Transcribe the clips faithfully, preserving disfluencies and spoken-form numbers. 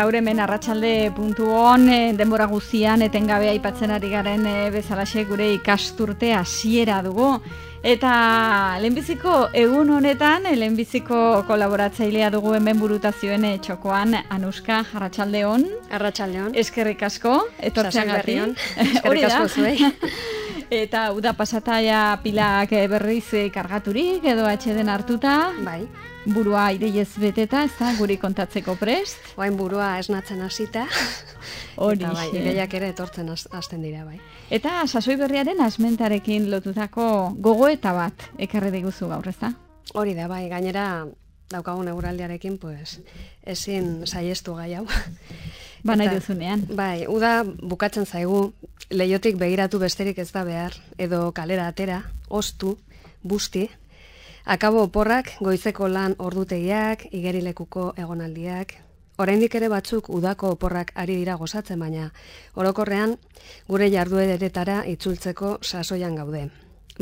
gaur hemen arratsalde puntu on, denbora guztian etengabe aipatzen ari garen bezalaxe gure ikasturte hasiera dugu. Eta lehenbiziko egun honetan, lehenbiziko kolaboratzailea dugu hemen burutazioen txokoan, Anuska, arratsaldeon. Arratsaldeon. Eskerrik asko, etortzeagatik. Eskerrik asko zuei. Eta uda pasataia pilak berriz kargaturik edo atxeden hartuta. Bai. Burua ideiez beteta, ez da, guri kontatzeko prest. Oain burua esnatzen hasita. Hori. Eta bai, ideiak ere etortzen hasten dira, bai. Eta sasoi berriaren asmentarekin lotutako gogoeta bat ekarri diguzu gaur, ez da? Hori da, bai, gainera daukagun eguraldiarekin, pues, ezin saiestu gai hau. Ba nahi duzunean. Bai, uda bukatzen zaigu, leihotik begiratu besterik ez da behar, edo kalera atera, ostu, busti, akabo oporrak, goizeko lan ordutegiak, igerilekuko egonaldiak. Oraindik ere batzuk udako oporrak ari dira gozatzen, baina orokorrean gure jardueretara itzultzeko sasoian gaude.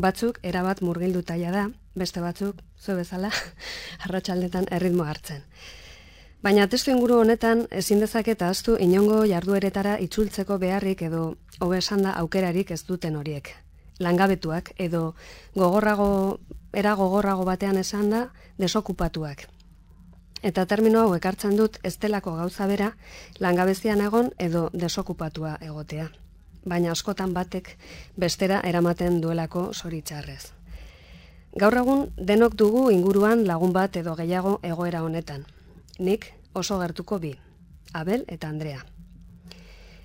Batzuk erabat murgilduta da, beste batzuk, zu bezala, arratsaldetan erritmo hartzen. Baina testu inguru honetan ezin dezaket ahaztu inongo jardueretara itzultzeko beharrik edo hobe esanda aukerarik ez duten horiek. Langabetuak edo gogorrago era gogorrago batean esan da desokupatuak. Eta termino hau ekartzen dut ez delako gauza bera langabezian egon edo desokupatua egotea. Baina askotan batek bestera eramaten duelako zoritxarrez. Gaur egun denok dugu inguruan lagun bat edo gehiago egoera honetan. Nik oso gertuko bi, Abel eta Andrea.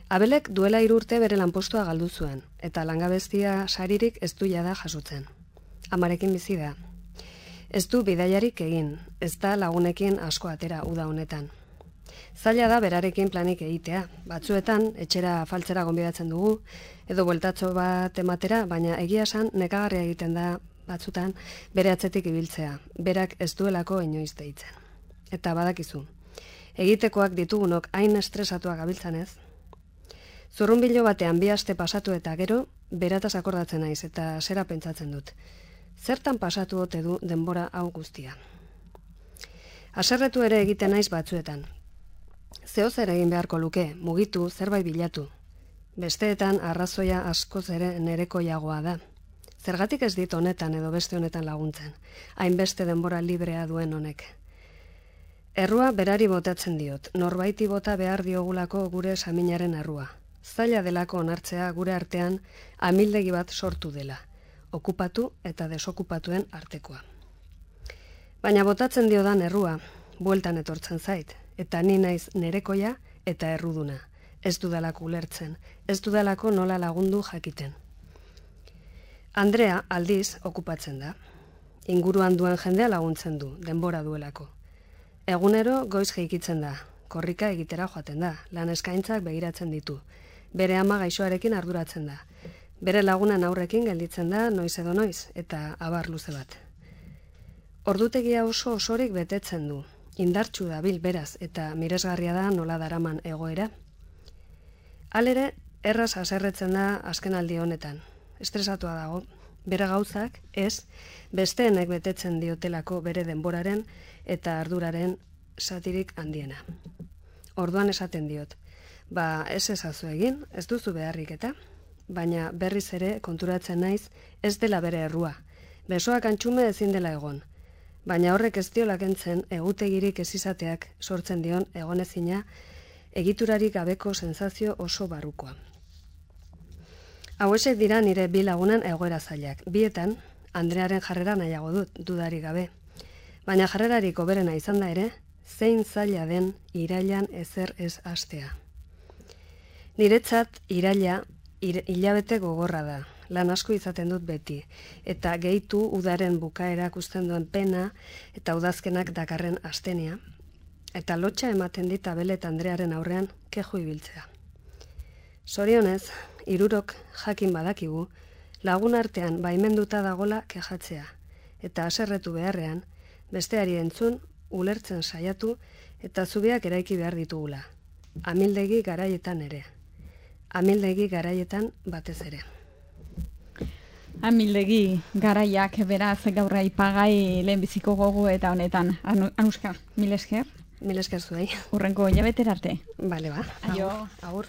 Abelek duela hiru urte bere lanpostua galdu zuen, eta langabezia saririk ez du jada jasotzen. Amarekin bizi da. Ez du bidaiarik egin, ez da lagunekin asko atera uda honetan. Zaila da berarekin planik egitea, batzuetan etxera faltzera gonbidatzen dugu, edo bueltatxo bat ematera, baina egia esan nekagarria egiten da batzutan bere atzetik ibiltzea, berak ez duelako inoiz deitzen. Eta badakizu, egitekoak ditugunok hain estresatuak gabiltzanez, zurrunbilo batean bi aste pasatu eta gero, berataz akordatzen naiz eta zera pentsatzen dut. Zertan pasatu ote du denbora hau guztia? Haserretu ere egiten naiz batzuetan. Zeo zer egin beharko luke, mugitu, zerbait bilatu. Besteetan arrazoia askoz ere nerekoiagoa da. Zergatik ez dit honetan edo beste honetan laguntzen, hainbeste denbora librea duen honek. Errua berari botatzen diot, norbaiti bota behar diogulako gure saminaren errua. Zaila delako onartzea gure artean amildegi bat sortu dela, okupatu eta desokupatuen artekoa. Baina botatzen diodan errua, bueltan etortzen zait, eta ni naiz nerekoia eta erruduna. Ez dudalako ulertzen, ez dudalako nola lagundu jakiten. Andrea aldiz okupatzen da. Inguruan duen jendea laguntzen du, denbora duelako. Egunero goiz jeikitzen da, korrika egitera joaten da, lan eskaintzak begiratzen ditu. Bere ama gaixoarekin arduratzen da. Bere lagunan aurrekin gelditzen da noiz edo noiz, eta abar luze bat. Ordutegia oso osorik betetzen du, indartsu dabil beraz eta miresgarria da nola daraman egoera. Halere, erraz haserretzen da azkenaldi honetan. Estresatua dago, bere gauzak ez, besteenek betetzen diotelako bere denboraren eta arduraren satirik handiena. Orduan esaten diot, ba ez ezazu egin, ez duzu beharrik eta, baina berriz ere konturatzen naiz ez dela bere errua, besoak antxume ezin dela egon, baina horrek ez diola kentzen egutegirik ez izateak sortzen dion egonezina egiturarik gabeko sensazio oso barrukoa. Hauesek dira nire bi lagunan egoera zailak. Bietan, Andrearen jarrera nahiago dut, dudarik gabe. Baina jarrerarik hoberena izan da ere, zein zaila den irailan ezer ez hastea. Niretzat iraila hilabete gogorra da, lan asko izaten dut beti, eta gehitu udaren bukaera ikusten duen pena eta udazkenak dakarren astenia, eta lotxa ematen dit Abel eta Andrearen aurrean keju ibiltzea. Zorionez, hirurok jakin badakigu, lagun artean baimenduta dagola kejatzea, eta haserretu beharrean, besteari entzun, ulertzen saiatu, eta zubiak eraiki behar ditugula. Amildegi garaietan ere. Amildegi garaietan batez ere. Amildegi garaiak beraz gaur aipagai lehenbiziko gogo eta honetan. Anuska, mil esker. Mil esker zuei. Urrengo hilabeterarte. Bale, ba. Aio. Agur.